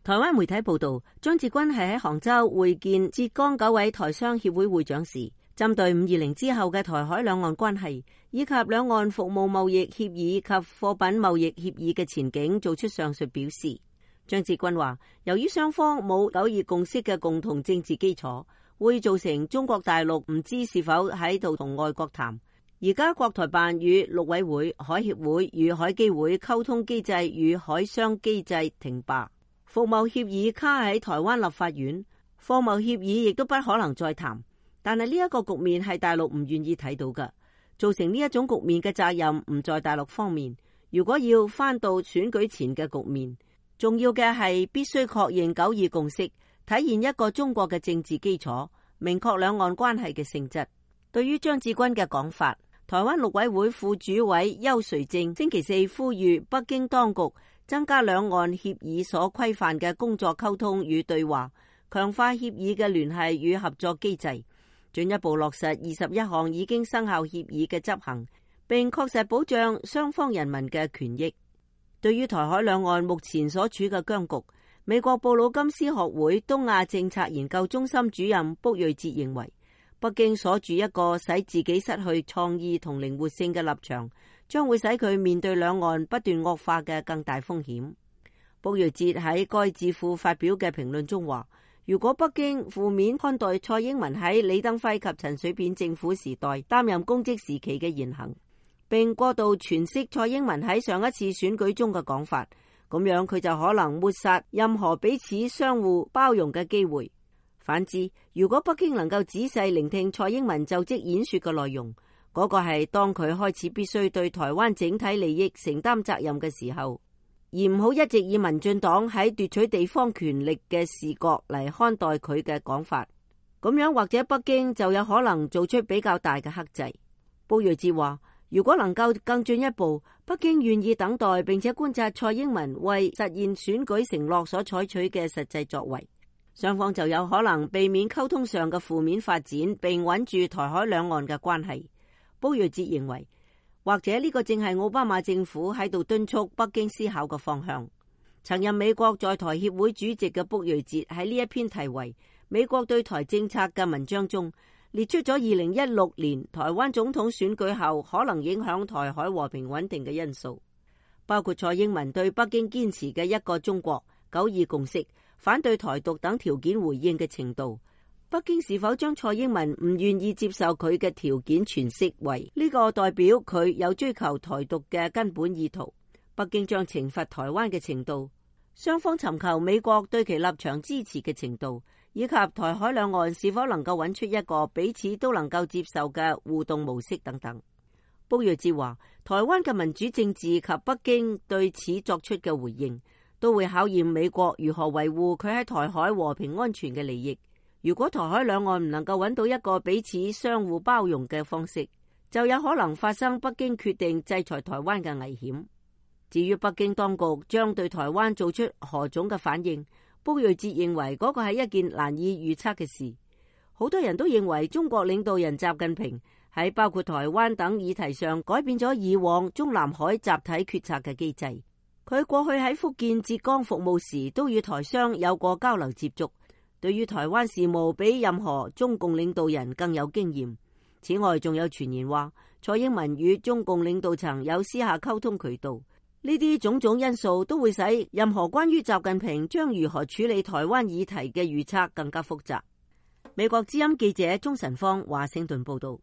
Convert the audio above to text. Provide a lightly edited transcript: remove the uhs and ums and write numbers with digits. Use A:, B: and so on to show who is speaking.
A: 台灣媒體報道，張志軍係喺杭州會見浙江9位台商協會會長時，針對520之後嘅台海兩岸關係以及兩岸服務貿易協議及貨品貿易協議嘅前景做出上述表示。張志軍話，由於雙方冇9·2共識嘅共同政治基礎，會造成中國大陸唔知是否喺度同外國談。而家國台辦與陸委會、海協會與海基會溝通機制與海商機制停擺。服貿協議卡喺台灣立法院，貨貿協議亦都不可能再談。但係呢一個局面係大陸唔願意睇到嘅，造成呢一種局面嘅責任唔在大陸方面。如果要翻到選舉前嘅局面，重要嘅係必須確認9·2共識，體現一個中國嘅政治基礎，明確兩岸關係嘅性質。對於張志軍嘅講法，台灣陸委會副主委邱垂正星期四呼籲北京當局增加兩岸協議所規範嘅工作溝通與對話，強化協議嘅聯繫與合作機制，進一步落實21項已經生效協議嘅執行，並確實保障雙方人民嘅權益。對於台海兩岸目前所處嘅僵局，美國布魯金斯學會東亞政策研究中心主任卜瑞哲認為，北京鎖住一個使自己失去創意同靈活性嘅立場，將會使佢面對兩岸不斷惡化嘅更大風險。卜瑞哲喺該智庫發表嘅評論中話，如果北京負面看待蔡英文喺李登輝及陳水扁政府時代擔任公職時期嘅言行，並過度詮釋蔡英文喺上一次選舉中嘅講法，咁樣佢就可能抹殺任何彼此相互包容嘅機會。反之，如果北京能夠仔細聆聽蔡英文就職演說嘅內容，嗰個係當佢開始必須對台灣整體利益承擔責任嘅時候，而唔好一直以民進黨喺奪取地方權力嘅視角嚟看待佢嘅講法，咁樣或者北京就有可能做出比較大嘅克制。卜瑞哲話，如果能夠更進一步，北京願意等待並且觀察蔡英文為實現選舉承諾所採取嘅實際作為，雙方就有可能避免溝通上嘅負面發展，並穩住台海兩岸嘅關係。卜瑞哲認為，或者呢個正係奧巴馬政府喺度敦促北京思考嘅方向。曾任美國在台協會主席嘅卜瑞哲喺呢一篇題為《美國對台政策》嘅文章中，列出咗2016年台灣總統選舉後可能影響台海和平穩定嘅因素，包括蔡英文對北京堅持嘅一個中國、9·2共識、反對台獨等條件回應嘅程度，北京是否將蔡英文唔願意接受佢嘅條件詮釋為呢個代表佢有追求台獨嘅根本意圖，北京將懲罰台灣嘅程度，雙方尋求美國對其立場支持嘅程度，以及台海兩岸是否能夠揾出一個彼此都能夠接受嘅互動模式等等。卜瑞哲話，台灣嘅民主政治及北京對此作出嘅回應，都會考驗美國如何維護佢喺台海和平安全嘅利益。如果台海兩岸唔能夠揾到一個彼此相互包容嘅方式，就有可能發生北京決定制裁台灣嘅危險。至於北京當局將對台灣做出何種嘅反應，卜瑞哲認為嗰個係一件難以預測嘅事。好多人都認為中國領導人習近平喺包括台灣等議題上改變咗以往中南海集體決策嘅機制。佢過去喺福建、浙江服務時都與台商有過交流接觸，對於台灣事務比任何中共領導人更有經驗。此外，仲有傳言話蔡英文與中共領導層有私下溝通渠道。呢啲種種因素都會使任何關於習近平將如何處理台灣議題嘅預測更加複雜。美國之音記者鍾晨芳華盛頓報道。